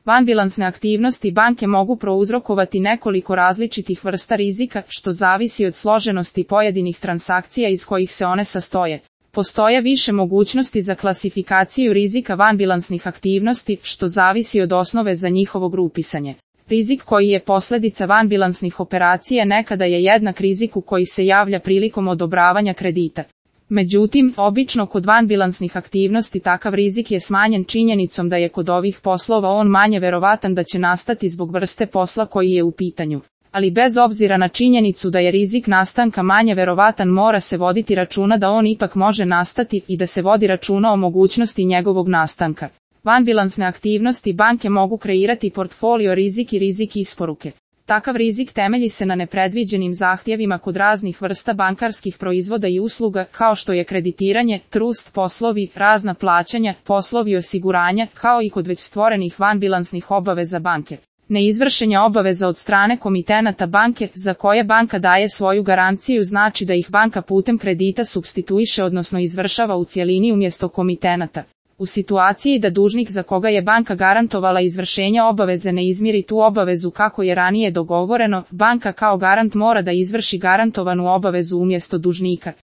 Vanbilansne aktivnosti banke mogu prouzrokovati nekoliko različitih vrsta rizika, što zavisi od složenosti pojedinih transakcija iz kojih se one sastoje. Postoje više mogućnosti za klasifikaciju rizika vanbilansnih aktivnosti, što zavisi od osnove za njihovo grupisanje. Rizik koji je posljedica vanbilansnih operacija nekada je jednak riziku koji se javlja prilikom odobravanja kredita. Međutim, obično kod vanbilansnih aktivnosti takav rizik je smanjen činjenicom da je kod ovih poslova on manje verovatan da će nastati zbog vrste posla koji je u pitanju. Ali bez obzira na činjenicu da je rizik nastanka manje verovatan, mora se voditi računa da on ipak može nastati i da se vodi računa o mogućnosti njegovog nastanka. Vanbilansne aktivnosti banke mogu kreirati portfolio rizik i rizik isporuke. Takav rizik temelji se na nepredviđenim zahtjevima kod raznih vrsta bankarskih proizvoda i usluga, kao što je kreditiranje, trust poslovi, razna plaćanja, poslovi osiguranja, kao i kod već stvorenih vanbilansnih obaveza banke. Neizvršenje obaveza od strane komitenata banke, za koje banka daje svoju garanciju, znači da ih banka putem kredita supstituiše odnosno izvršava u cjelini umjesto komitenata. U situaciji da dužnik za koga je banka garantovala izvršenje obaveze ne izmiri tu obavezu kako je ranije dogovoreno, banka kao garant mora da izvrši garantovanu obavezu umjesto dužnika.